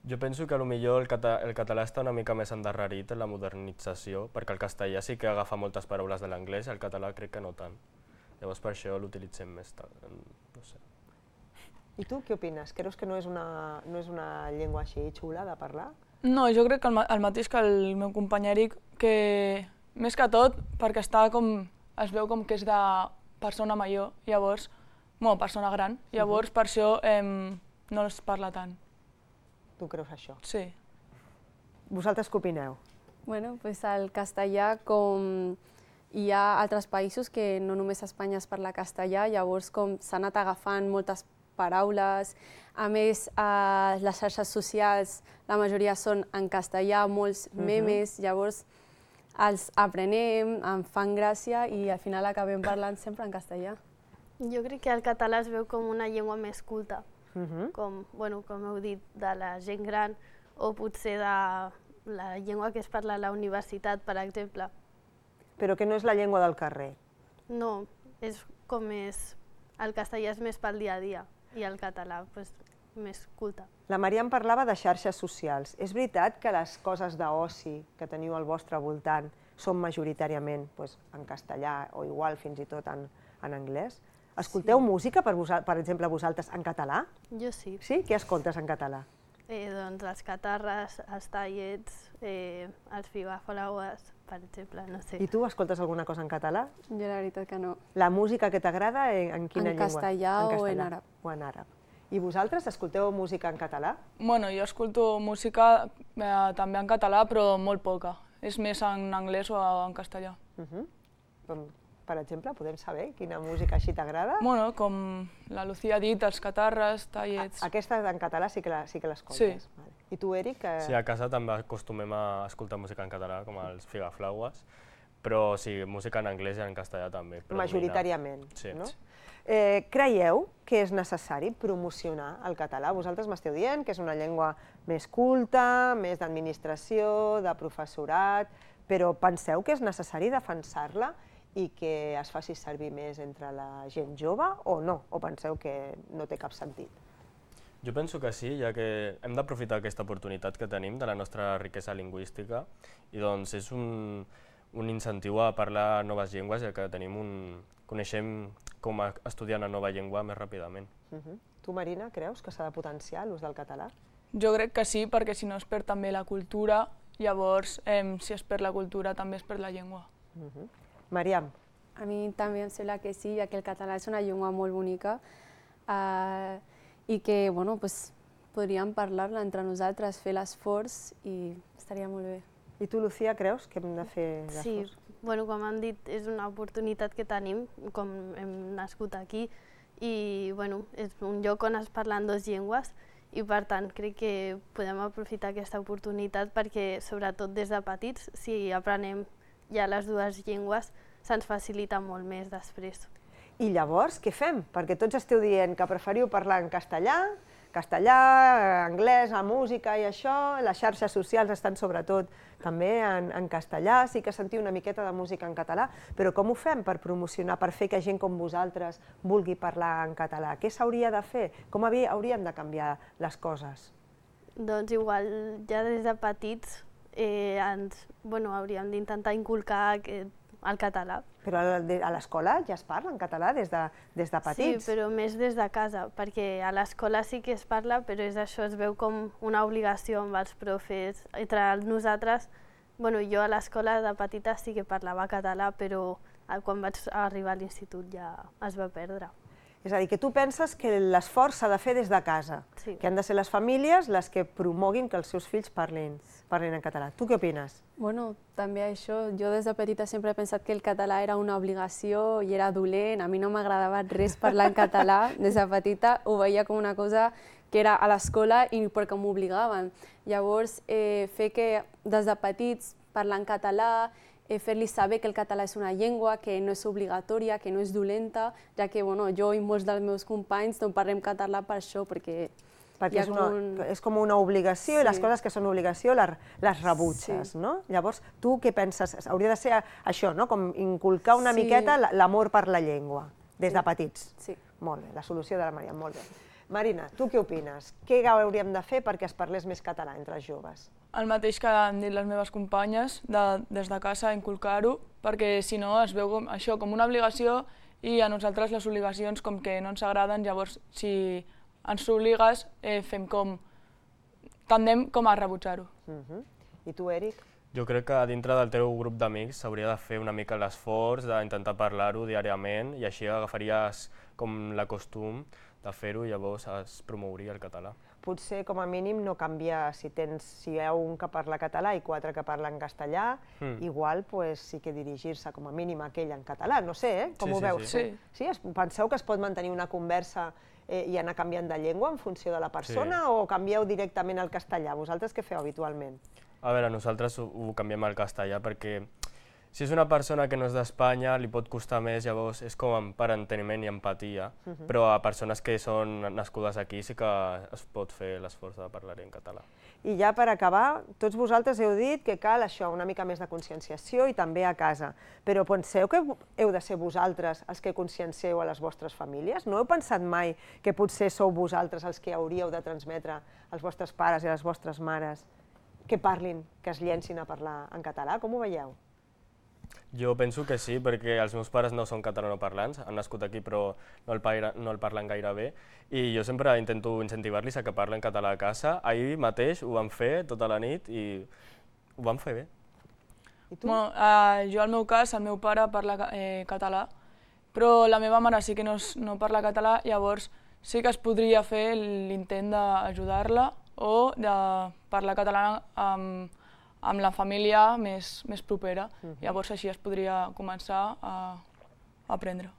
Jo penso que potser el, cata el català està una mica més endarrerit en la modernització, perquè el castellà sí que agafa moltes paraules de l'anglès, el català crec que no tant. Llavors per això l'utilitzem més tard, no sé. I tu què opines? Creus que no és una, no és una llengua així xula de parlar? No, jo crec que el, el mateix que el meu company Eric, que més que tot perquè està com, es veu com que és de persona major, llavors, bueno, persona gran, llavors uh-huh. per això eh, no es parla tant. Tu creus això? Sí. Vosaltres què opineu? Bueno, pues el castellà, com hi ha altres països que no només a Espanya es parla castellà, llavors com s'han anat agafant moltes paraules, a més a les xarxes socials la majoria són en castellà, molts memes, uh-huh. llavors els aprenem, em fan gràcia i al final acabem parlant sempre en castellà. Jo crec que el català es veu com una llengua més culta. Uh-huh. com, bueno, com heu dit, de la gent gran o potser de la llengua que es parla a la universitat, per exemple. Però que no és la llengua del carrer? No, és com més... El castellà és més pel dia a dia i el català pues, més culte. La Maria em parlava de xarxes socials. És veritat que les coses d'oci que teniu al vostre voltant són majoritàriament pues, en castellà o igual fins i tot en, en anglès? Escolteu sí. música, per, per exemple, vosaltres, en català? Jo sí. Sí? Què escoltes en català? Eh, doncs els catarres, els tallets, eh, els figaflaues, per exemple, no sé. I tu escoltes alguna cosa en català? Jo la veritat que no. La música que t'agrada, en, en quina en llengua? Castellà en castellà o en àrab. O en àrab. I vosaltres escolteu música en català? Bueno, jo escolto música eh, també en català, però molt poca. És més en anglès o en castellà. Uh-huh. per exemple? Podem saber quina música així t'agrada? Bueno, com la Lucía ha dit, els catarres, tallets... Aquesta en català sí que l'escoltes? Sí. I tu, Eric? Sí, a casa també acostumem a escoltar música en català, com els Figaflaues, però sí, música en anglès i en castellà també. Majoritàriament, no? Creieu que és necessari promocionar el català? Vosaltres m'esteu dient que és una llengua més culta, més d'administració, de professorat, però penseu que és necessari defensar-la i que es faci servir més entre la gent jove o no? O penseu que no té cap sentit? Jo penso que sí, ja que hem d'aprofitar aquesta oportunitat que tenim de la nostra riquesa lingüística i doncs és un, un incentiu a parlar noves llengües, ja que tenim un, coneixem com estudiar una nova llengua més ràpidament. Uh-huh. Tu, Marina, creus que s'ha de potenciar l'ús del català? Jo crec que sí, perquè si no es perd també la cultura, llavors eh, si es perd la cultura també es perd la llengua. Uh-huh. Mariam? A mi també em sembla que sí, ja que el català és una llengua molt bonica eh, i que bueno, pues, podríem parlar-la entre nosaltres, fer l'esforç i estaria molt bé. I tu, Lucía, creus que hem de fer l'esforç? Sí, bueno, com han dit, és una oportunitat que tenim, com hem nascut aquí, i bueno, és un lloc on es parlen dues llengües i per tant crec que podem aprofitar aquesta oportunitat perquè sobretot des de petits, si aprenem ja les dues llengües, se'ns facilita molt més després. I llavors què fem? Perquè tots esteu dient que preferiu parlar en castellà, castellà, anglès, la música i això, les xarxes socials estan sobretot també en, en castellà, sí que sentiu una miqueta de música en català, però com ho fem per promocionar, per fer que gent com vosaltres vulgui parlar en català? Què s'hauria de fer? Com hauríem de canviar les coses? Doncs igual, ja des de petits eh, ens, bueno, hauríem d'intentar inculcar aquest el català. Però a l'escola ja es parla en català des de, des de petits? Sí, però més des de casa, perquè a l'escola sí que es parla, però és això, es veu com una obligació amb els profes. Entre nosaltres, bueno, jo a l'escola de petita sí que parlava català, però quan vaig arribar a l'institut ja es va perdre. És a dir, que tu penses que l'esforç s'ha de fer des de casa, sí. Que han de ser les famílies les que promoguin que els seus fills parlin, parlin en català. Tu què opines? Bueno, també això, jo des de petita sempre he pensat que el català era una obligació i era dolent, a mi no m'agradava res parlar en català, des de petita ho veia com una cosa que era a l'escola i perquè m'obligaven. Llavors, eh, fer que des de petits parlar en català, eh, fer-li saber que el català és una llengua, que no és obligatòria, que no és dolenta, ja que bueno, jo i molts dels meus companys no parlem català per això, perquè perquè és, una, un... és com una obligació, sí. I les coses que són obligació les, les rebutges, sí. No? Llavors, tu què penses? Hauria de ser això, no? Com inculcar una sí. miqueta l'amor per la llengua, des sí. de petits. Sí. Molt bé, la solució de la Maria, molt bé. Marina, tu què opines? Què hauríem de fer perquè es parlés més català entre els joves? El mateix que han dit les meves companyes, de, des de casa inculcar-ho, perquè si no es veu com, això com una obligació i a nosaltres les obligacions com que no ens agraden, llavors si ens obligues, eh, fem com... tendem com a rebutjar-ho. Uh-huh. I tu, Eric? Jo crec que dintre del teu grup d'amics s'hauria de fer una mica l'esforç d'intentar parlar-ho diàriament i així agafaries com la costum de fer-ho i llavors es promouria el català. Potser com a mínim no canviar, si tens, si hi ha un que parla català i quatre que parlen castellà, mm. igual pues, sí que dirigir-se com a mínim a aquell en català, no sé, eh? Com sí, ho sí, veus? Sí. Sí? Sí? Penseu que es pot mantenir una conversa eh, i anar canviant de llengua en funció de la persona sí. O canvieu directament al castellà? Vosaltres què feu habitualment? A veure, nosaltres ho, ho canviem al castellà perquè si és una persona que no és d'Espanya li pot costar més, llavors és com per enteniment i empatia, uh-huh. Però a persones que són nascudes aquí sí que es pot fer l'esforç de parlar en català. I ja per acabar, tots vosaltres heu dit que cal això, una mica més de conscienciació i també a casa, però penseu que heu de ser vosaltres els que consciencieu a les vostres famílies? No heu pensat mai que potser sou vosaltres els que hauríeu de transmetre als vostres pares i a les vostres mares que parlin, que es llencin a parlar en català? Com ho veieu? Jo penso que sí, perquè els meus pares no són catalanoparlants, han nascut aquí però no el, paira, no el parlen gaire bé i jo sempre intento incentivar-los a que parlen català a casa. Ahir mateix ho vam fer tota la nit i ho vam fer bé. I tu? Bueno, eh, jo al meu cas, el meu pare parla eh, català, però la meva mare sí que no, no parla català, llavors sí que es podria fer l'intent d'ajudar-la o de parlar català amb amb la família més, més propera. Uh-huh. Llavors així es podria començar a, aprendre.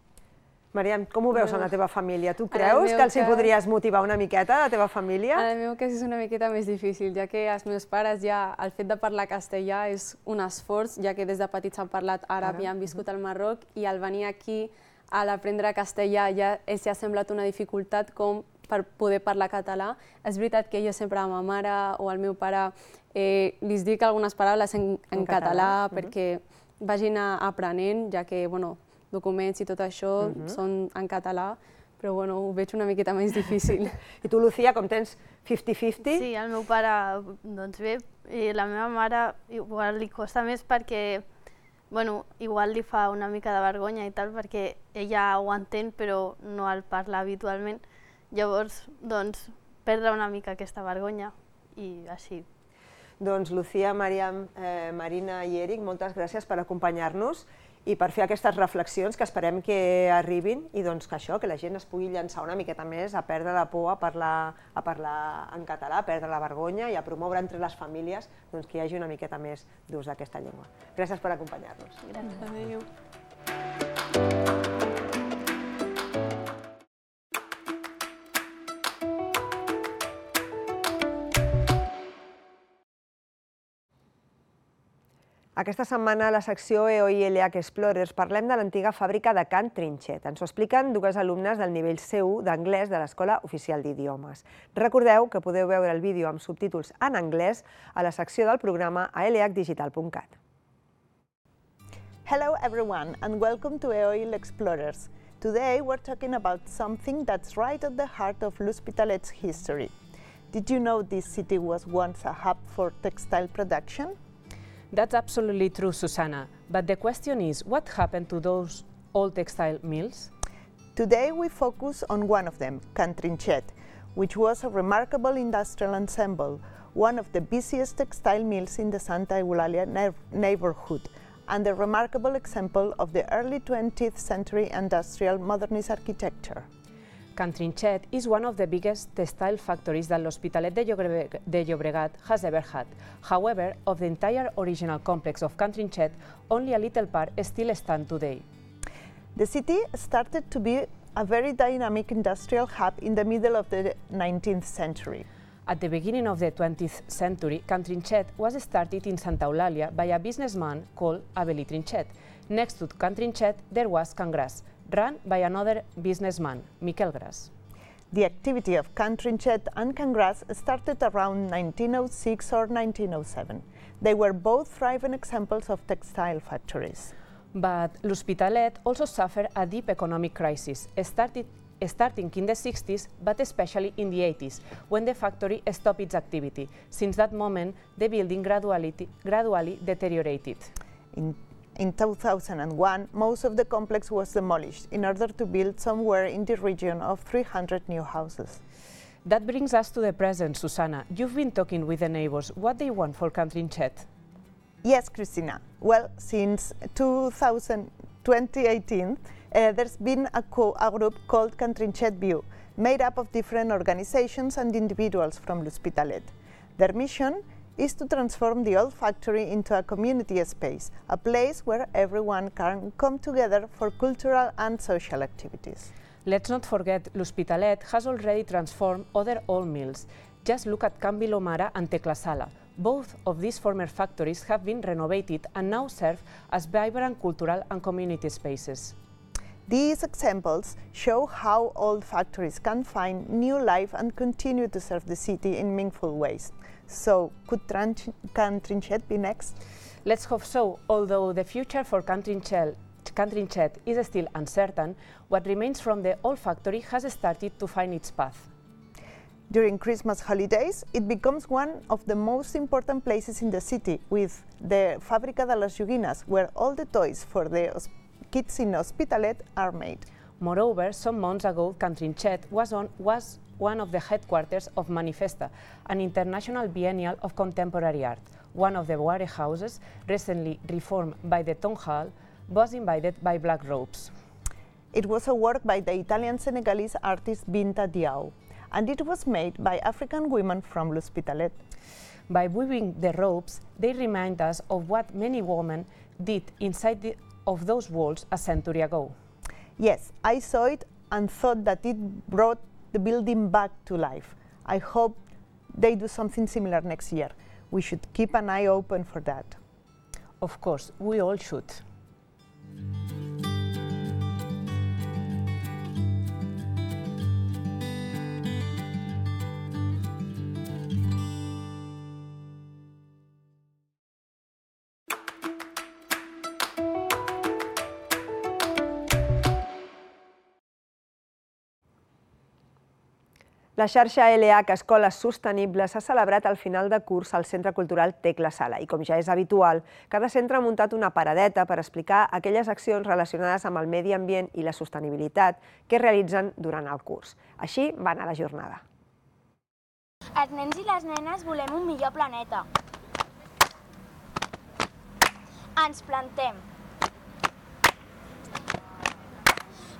Mariam, com ho veus en la teva família? Tu creus meu que els hi cas- podries motivar una miqueta a la teva família? En el meu cas és una miqueta més difícil, ja que els meus pares ja, el fet de parlar castellà és un esforç, ja que des de petits han parlat àrab Àrab, i han viscut al Marroc, i al venir aquí a l'aprendre castellà ja els ha semblat una dificultat com per poder parlar català. És veritat que jo sempre a ma mare o al meu pare eh, li dic algunes paraules en, en, En català, català, perquè vagin a- aprenent, ja que bueno, documents i tot això Mhm. són en català, però bueno, ho veig una miqueta més difícil. I tu, Lucía, com tens cinquanta cinquanta? Sí, el meu pare, doncs bé, i la meva mare igual li costa més perquè, bueno, igual li fa una mica de vergonya i tal, perquè ella ho entén però no el parla habitualment. Llavors, doncs, perdre una mica aquesta vergonya i així. Doncs Lucía, Mariam, eh, Marina i Eric, moltes gràcies per acompanyar-nos i per fer aquestes reflexions que esperem que arribin i doncs que això, que la gent es pugui llançar una miqueta més a perdre la por, a parlar, a parlar en català, a perdre la vergonya i a promoure entre les famílies doncs, que hi hagi una miqueta més d'ús d'aquesta llengua. Gràcies per acompanyar-nos. Gràcies. Adéu. Aquesta setmana a la secció E O I L H Explorers parlem de l'antiga fàbrica de Can Trinxet. Ens ho expliquen dues alumnes del nivell C u d'anglès de l'Escola Oficial d'Idiomes. Recordeu que podeu veure el vídeo amb subtítols en anglès a la secció del programa a l h digital punt cat. Hello everyone and welcome to E O I L Explorers. Today we're talking about something that's right at the heart of L'Hospitalet's history. Did you know this city was once a hub for textile production? That's absolutely true, Susanna. But the question is, what happened to those old textile mills? Today we focus on one of them, Can Trinxet, which was a remarkable industrial ensemble, one of the busiest textile mills in the Santa Eulalia neighborhood, and a remarkable example of the early twentieth century industrial modernist architecture. Can Trinxet is one of the biggest textile factories that l'Hospitalet de, Llobre de Llobregat has ever had. However, of the entire original complex of Can Trinxet, only a little part still stands today. The city started to be a very dynamic industrial hub in the middle of the nineteenth century. At the beginning of the twentieth century, Can Trinxet was started in Santa Eulàlia by a businessman called Avel·lí Trinxet. Next to Can Trinxet, there was Can Gras, run by another businessman, Miquel Gras. The activity of Can Trinxet and Can Gras started around nineteen oh six or nineteen oh seven. They were both thriving examples of textile factories. But l'Hospitalet also suffered a deep economic crisis, started, starting in the sixties, but especially in the eighties, when the factory stopped its activity. Since that moment, the building gradually, gradually deteriorated. In In two thousand one, most of the complex was demolished in order to build somewhere in the region of three hundred new houses. That brings us to the present, Susanna. You've been talking with the neighbors. What they want for Can Trinxet? Yes, Christina. Well, since twenty eighteen, uh, there's been a, co a group called Can Trinxet View, made up of different organizations and individuals from L'Hospitalet. Their mission is to transform the old factory into a community space, a place where everyone can come together for cultural and social activities. Let's not forget, L'Hospitalet has already transformed other old mills. Just look at Can Vilomara and Teclasala. Both of these former factories have been renovated and now serve as vibrant cultural and community spaces. These examples show how old factories can find new life and continue to serve the city in meaningful ways. So, could Can Trinxet be next? Let's hope so. Although the future for Can Trinxet, Can Trinxet is still uncertain, what remains from the old factory has started to find its path. During Christmas holidays, it becomes one of the most important places in the city, with the Fábrica de las Joguines, where all the toys for the kids in Hospitalet are made. Moreover, some months ago, Can Trinxet was, on, was one of the headquarters of Manifesta, an international biennial of contemporary art. One of the warehouses, recently reformed by the Town Hall, was invited by Black Robes. It was a work by the Italian-Senegalese artist Binta Diaw, and it was made by African women from L'Hospitalet. By weaving the ropes, they remind us of what many women did inside the, of those walls a century ago. Yes, I saw it and thought that it brought the building back to life. I hope they do something similar next year. We should keep an eye open for that. Of course, we all should. La xarxa L H Escoles Sostenibles s'ha celebrat al final de curs al Centre Cultural Tecla Sala i, com ja és habitual, cada centre ha muntat una paradeta per explicar aquelles accions relacionades amb el medi ambient i la sostenibilitat que realitzen durant el curs. Així va anar la jornada. Els nens i les nenes volem un millor planeta. Ens plantem.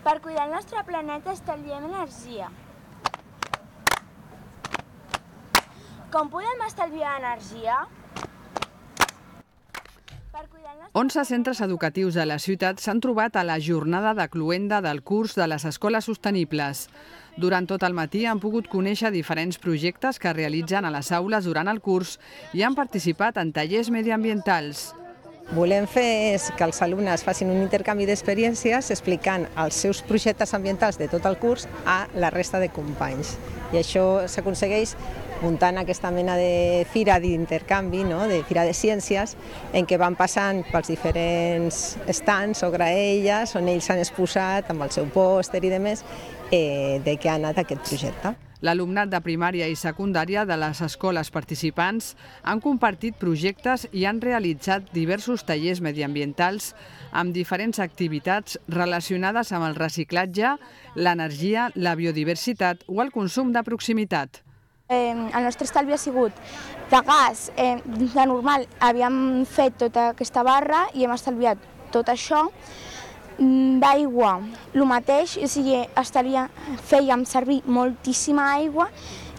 Per cuidar el nostre planeta estalviem energia. Com podem estalviar energia? onze centres educatius de la ciutat s'han trobat a la jornada de cloenda del curs de les escoles sostenibles. Durant tot el matí han pogut conèixer diferents projectes que realitzen a les aules durant el curs i han participat en tallers mediambientals. Volem fer és que els alumnes facin un intercanvi d'experiències explicant els seus projectes ambientals de tot el curs a la resta de companys. I això s'aconsegueix muntant aquesta mena de fira d'intercanvi, de fira de ciències, en què van passant pels diferents stands o graelles on ells s'han exposat amb el seu pòster i demés de què ha anat aquest projecte. L'alumnat de primària i secundària de les escoles participants han compartit projectes i han realitzat diversos tallers mediambientals amb diferents activitats relacionades amb el reciclatge, l'energia, la biodiversitat o el consum de proximitat. El nostre estalvi ha sigut de gas. De normal havíem fet tota aquesta barra i hem estalviat tot això. D'aigua, el mateix, o sigui, fèiem servir moltíssima aigua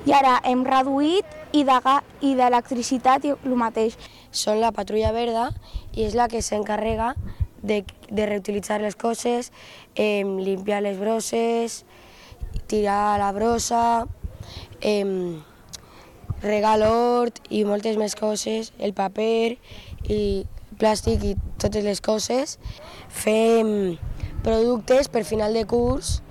i ara hem reduït i d'electricitat el mateix. Són la patrulla verda i és la que s'encarrega de reutilitzar les coses, limpiar les brosses, tirar la brossa, regar l'hort i moltes més coses, el paper i plàstic i totes les coses. Fem productes per final de curs,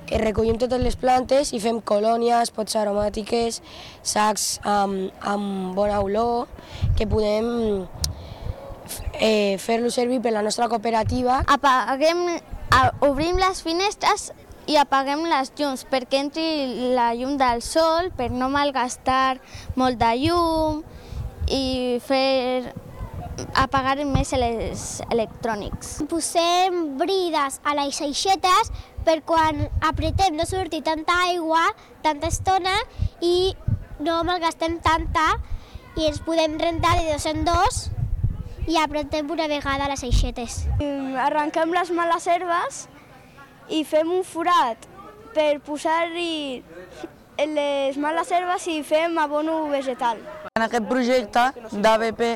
recollim totes les plantes i fem colònies, pots aromàtiques, sacs amb bona olor, que podem fer-lo servir per la nostra cooperativa. Obrim les finestres i apaguem les llums perquè entri la llum del sol, per no malgastar molta llum i fer apagar més els electrònics. Posem brides a les aixetes per quan apretem no surti tanta aigua, tanta estona i no malgastem tanta i ens podem rentar de dos en dos i apretem una vegada les aixetes. Arrenquem les males herbes i fem un forat per posar-hi les males herbes i fem abono vegetal. En aquest projecte d'A B P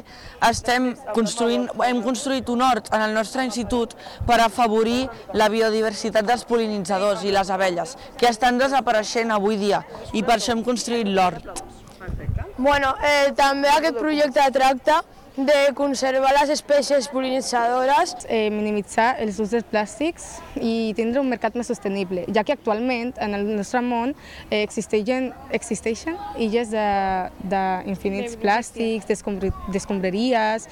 estem construint, hem construït un hort en el nostre institut per afavorir la biodiversitat dels pol·linitzadors i les abelles, que estan desapareixent avui dia, i per això hem construït l'hort. Bueno, eh, també aquest projecte tracta de conservar les espècies pol·linitzadores, eh, minimitzar els usos dels plàstics i tindre un mercat més sostenible, ja que actualment en el nostre món eh, existeixen, existeixen illes d'infinits plàstics, d'escombraries.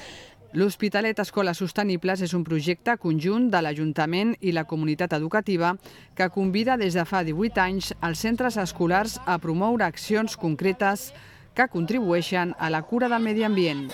L'Hospitalet Escoles Sostenibles és un projecte conjunt de l'Ajuntament i la comunitat educativa que convida des de fa divuit anys els centres escolars a promoure accions concretes que contribueixen a la cura del medi ambient.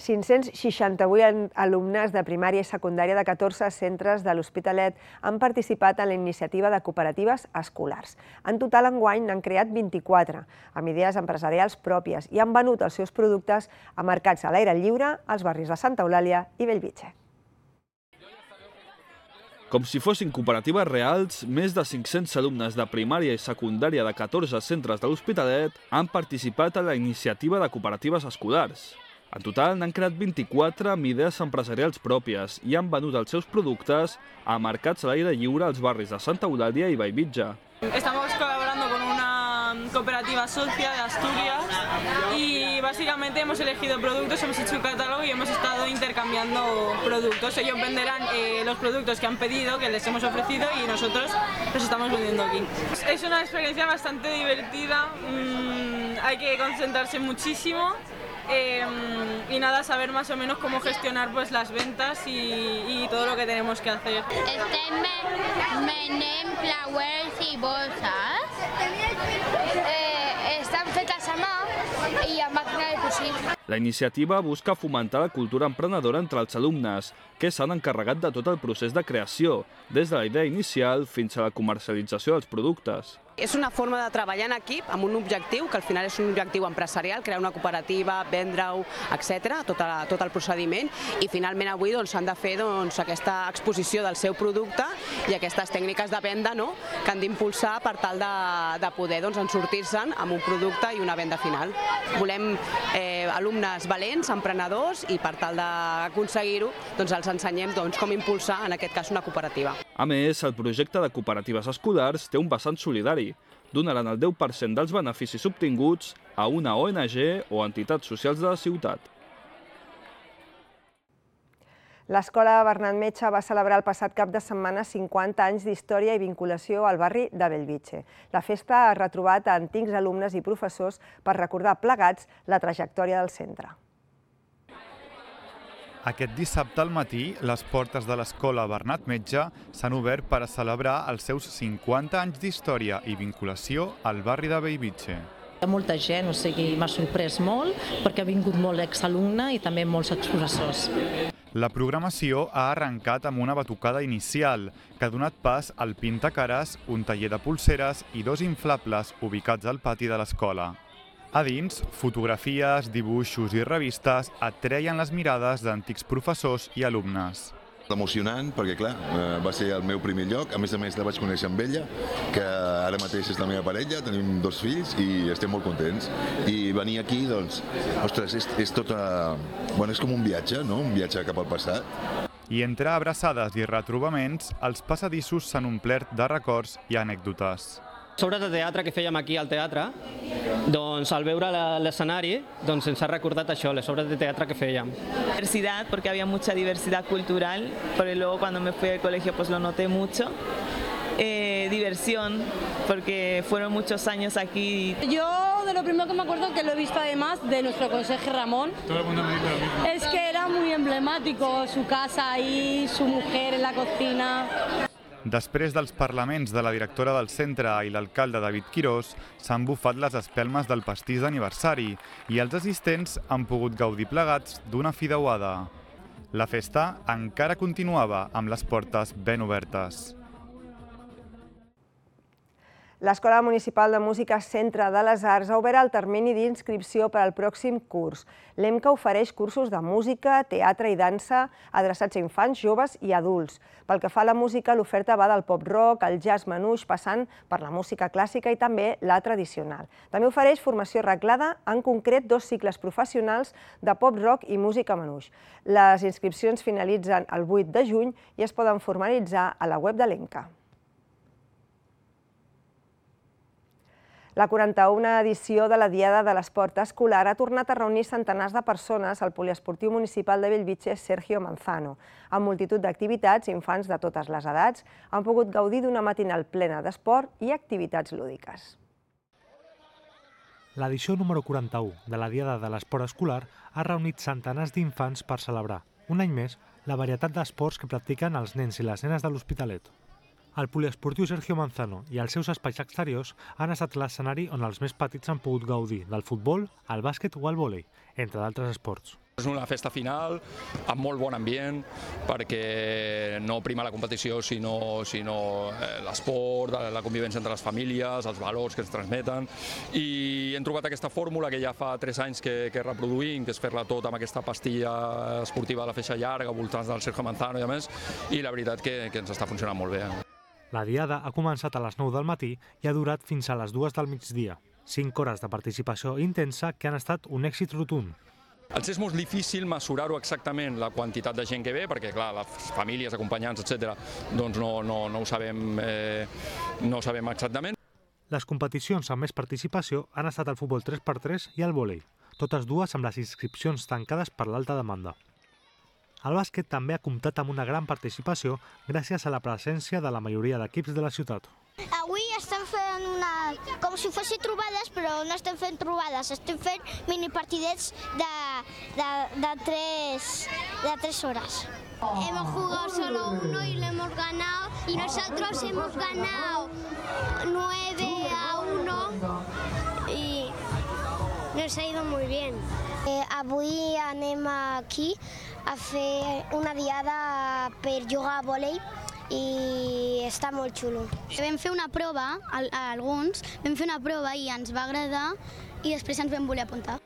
cinc-cents seixanta-vuit alumnes de primària i secundària de catorze centres de l'Hospitalet han participat en la iniciativa de cooperatives escolars. En total, enguany n'han creat vint-i-quatre, amb idees empresarials pròpies, i han venut els seus productes a mercats a l'aire lliure als barris de Santa Eulàlia i Bellvitge. Com si fossin cooperatives reals, més de cinc-cents alumnes de primària i secundària de catorze centres de l'Hospitalet han participat a la iniciativa de cooperatives escolars. En total n'han creat vint-i-quatre amb idees empresarials pròpies i han venut els seus productes a mercats a l'aire lliure als barris de Santa Eulàlia i Bellvitge. Estamos colaborando con una cooperativa socia de Asturias y básicamente hemos elegido productos, hemos hecho un catálogo y hemos estado intercambiando productos. Ellos venderán eh, los productos que han pedido, que les hemos ofrecido y nosotros los estamos vendiendo aquí. Es una experiencia bastante divertida, mmm, hay que concentrarse muchísimo. Eh, y nada, saber más o menos cómo gestionar pues las ventas y, y todo lo que tenemos que hacer. Estem venent flowers i bolses. Eh, estan fetes a mà i amb màquina de cosir. La iniciativa busca fomentar la cultura emprenedora entre els alumnes, que s'han encarregat de tot el procés de creació, des de la idea inicial fins a la comercialització dels productes. És una forma de treballar en equip amb un objectiu, que al final és un objectiu empresarial, crear una cooperativa, vendre-ho, etcètera, tot, a, tot el procediment, i finalment avui doncs, han de fer doncs, aquesta exposició del seu producte i aquestes tècniques de venda, no?, que han d'impulsar per tal de, de poder doncs, sortir-se'n amb un producte i una venda final. Volem eh, alumnes valents, emprenedors, i per tal d'aconseguir-ho doncs, els ensenyem doncs, com impulsar, en aquest cas, una cooperativa. A més, el projecte de cooperatives escolars té un vessant solidari. Donaran el deu per cent dels beneficis obtinguts a una O N G o entitats socials de la ciutat. L'Escola Bernat Metge va celebrar el passat cap de setmana cinquanta anys d'història i vinculació al barri de Bellvitge. La festa ha retrobat a antics alumnes i professors per recordar plegats la trajectòria del centre. Aquest dissabte al matí, les portes de l'Escola Bernat Metge s'han obert per a celebrar els seus cinquanta anys d'història i vinculació al barri de Bellvitge. Hi ha molta gent, o sigui, m'ha sorprès molt perquè ha vingut molt exalumne i també molts exprofessors. La programació ha arrencat amb una batucada inicial que ha donat pas al Pintacares, un taller de pulseres i dos inflables ubicats al pati de l'escola. A dins, fotografies, dibuixos i revistes atreien les mirades d'antics professors i alumnes. Emocionant, perquè clar, va ser el meu primer lloc, a més a més la vaig conèixer amb ella, que ara mateix és la meva parella, tenim dos fills i estem molt contents. I venir aquí, doncs, ostres, és, és tot a... bueno, és com un viatge, no? Un viatge cap al passat. I entre abraçades i retrobaments, els passadissos s'han omplert de records i anècdotes. Sobre el teatre que fèiem aquí al teatre, doncs al veure l'escenari doncs ens ha recordat això, les obres de teatre que fèiem. Diversidad, porque había mucha diversidad cultural, pero luego cuando me fui al colegio pues lo noté mucho. Eh, diversión, porque fueron muchos años aquí. Yo de lo primero que me acuerdo, que lo he visto además de nuestro conserje Ramón, Todo el mundo me dice lo mismo. Es que era muy emblemático, su casa ahí, su mujer en la cocina. Després dels parlaments de la directora del centre i l'alcalde David Quirós, s'han bufat les espelmes del pastís d'aniversari i els assistents han pogut gaudir plegats d'una fideuada. La festa encara continuava amb les portes ben obertes. L'Escola Municipal de Música Centre de les Arts ha obert el termini d'inscripció per al pròxim curs. L'E M C A ofereix cursos de música, teatre i dansa adreçats a infants, joves i adults. Pel que fa a la música, l'oferta va del pop-rock, el jazz manouche, passant per la música clàssica i també la tradicional. També ofereix formació reglada, en concret dos cicles professionals de pop-rock i música manouche. Les inscripcions finalitzen el vuit de juny i es poden formalitzar a la web de l'E M C A. La quaranta-una edició de la Diada de l'Esport Escolar ha tornat a reunir centenars de persones al Poliesportiu Municipal de Bellvitge Sergio Manzano. Amb multitud d'activitats, infants de totes les edats han pogut gaudir d'una matinal plena d'esport i activitats lúdiques. L'edició número quaranta-u de la Diada de l'Esport Escolar ha reunit centenars d'infants per celebrar, un any més, la varietat d'esports que practiquen els nens i les nenes de l'Hospitalet. El poliesportiu Sergio Manzano i els seus espais exteriors han estat l'escenari on els més petits han pogut gaudir del futbol, el bàsquet o el vòlei, entre d'altres esports. És una festa final amb molt bon ambient perquè no prima la competició sinó, sinó l'esport, la convivència entre les famílies, els valors que ens transmeten, i hem trobat aquesta fórmula que ja fa tres anys que, que reproduïm, que és fer-la tot amb aquesta pastilla esportiva de la feixa llarga, voltants del Sergio Manzano i a més, i la veritat que, que ens està funcionant molt bé. La diada ha començat a les nou del matí i ha durat fins a les dues del migdia. Cinc hores de participació intensa que han estat un èxit rotund. Ens és molt difícil mesurar-ho exactament, la quantitat de gent que ve, perquè clar, les famílies, acompanyants, etcètera, doncs no, no, no ho sabem, eh, no ho sabem exactament. Les competicions amb més participació han estat el futbol tres per tres i el vòlei, totes dues amb les inscripcions tancades per l'alta demanda. El bàsquet també ha comptat amb una gran participació gràcies a la presència de la majoria d'equips de la ciutat. Avui estem fent una, com si fossin trobades, però no estem fent trobades, estem fent minipartidets de, de, de, tres, de tres horas. Hemos jugado solo uno y lo hemos ganado, y nosotros hemos ganado nueve a uno y nos ha ido muy bien. Eh, avui anem aquí a fer una diada per jugar a vòlei i està molt xulo. Vam fer una prova, alguns, vam fer una prova i ens va agradar i després ens vam voler apuntar.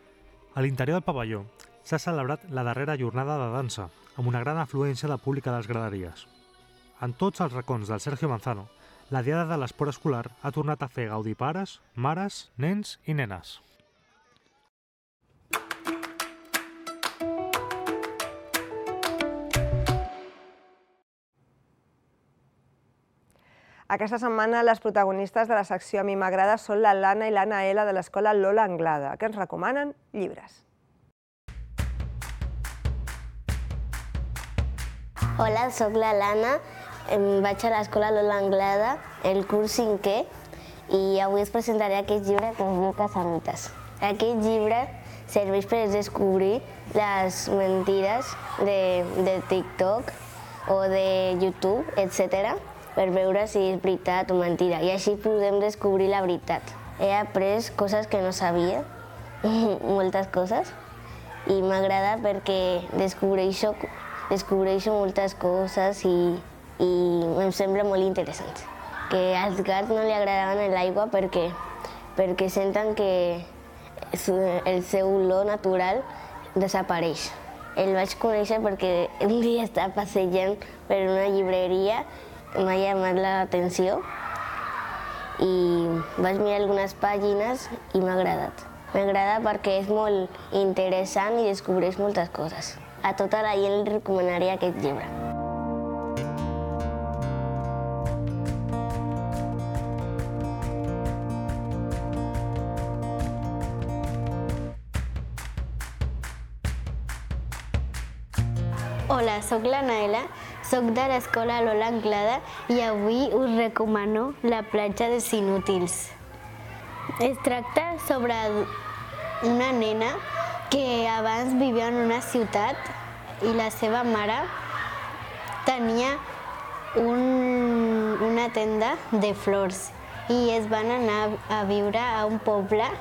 A l'interior del pavelló s'ha celebrat la darrera jornada de dansa, amb una gran afluència de públic a les graderies. En tots els racons del Sergio Manzano, la diada de l'esport escolar ha tornat a fer gaudir pares, mares, nens i nenes. Aquesta setmana les protagonistes de la secció A mi m'agrada són la Lana i l'Anna L de l'escola Lola Anglada, que ens recomanen llibres. Hola, soc la Lana, vaig a l'escola Lola Anglada, el curs cinquè, i avui us presentaré aquest llibre que es diu Casamites. Aquest llibre serveix per descobrir les mentides de, de TikTok o de YouTube, etcètera, per veure si és veritat o mentida, i així podem descobrir la veritat. He après coses que no sabia, moltes coses, i m'agrada perquè descobreixo, descobreixo moltes coses i, i em sembla molt interessant. Que als gats no li agradaven l'aigua perquè, perquè senten que el seu olor natural desapareix. El vaig conèixer perquè un dia estava passejant per una llibreria, m'ha llamat l'atenció i vaig mirar algunes pàgines i m'ha agradat. M'agrada perquè és molt interessant i descobreix moltes coses. A tota la gent li recomanaria aquest llibre. Hola, soc la Naela, soc de l'escola Lola Anglada i avui us recomano la platja dels inútils. Es tracta sobre una nena que abans vivia en una ciutat i la seva mare tenia un, una tenda de flors i es van anar a viure a un poble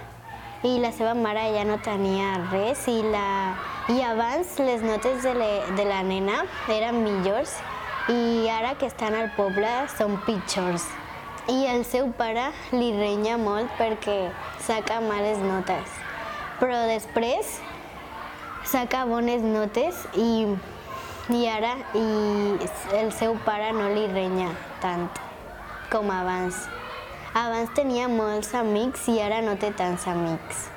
i la seva mare ja no tenia res i, la, i abans les notes de, le, de la nena eren millors i ara que estan al poble són pitjors. I el seu pare li renya molt perquè saca males notes. Però després saca bones notes i, i ara i el seu pare no li renya tant com abans. Abans tenia molts amics i ara no té tants amics.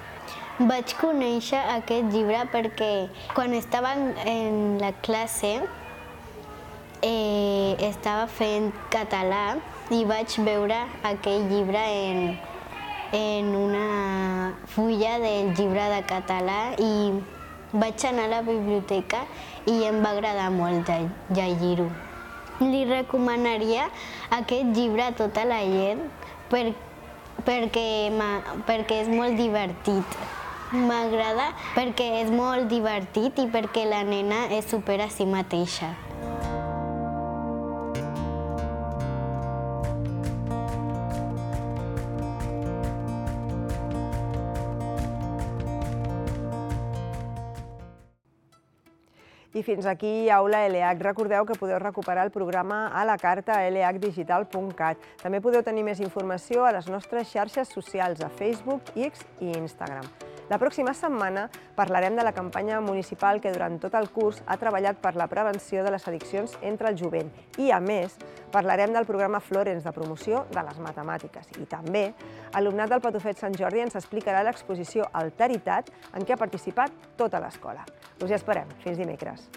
Vaig conèixer aquest llibre perquè quan estava en la classe eh, estava fent català i vaig veure aquell llibre en, en una fulla del llibre de català i vaig anar a la biblioteca i em va agradar molt llegir-ho. Li recomanaria aquest llibre a tota la gent per, perquè, perquè és molt divertit. M'agrada perquè és molt divertit i perquè la nena es supera a si mateixa. I fins aquí Aula L H. Recordeu que podeu recuperar el programa a la carta a l h digital punt cat. També podeu tenir més informació a les nostres xarxes socials, a Facebook, X i Instagram. La pròxima setmana parlarem de la campanya municipal que durant tot el curs ha treballat per la prevenció de les addiccions entre el jovent. I, a més, parlarem del programa Florence de promoció de les matemàtiques. I també, alumnat del Patufet Sant Jordi ens explicarà l'exposició Alteritat en què ha participat tota l'escola. Us hi esperem. Fins dimecres.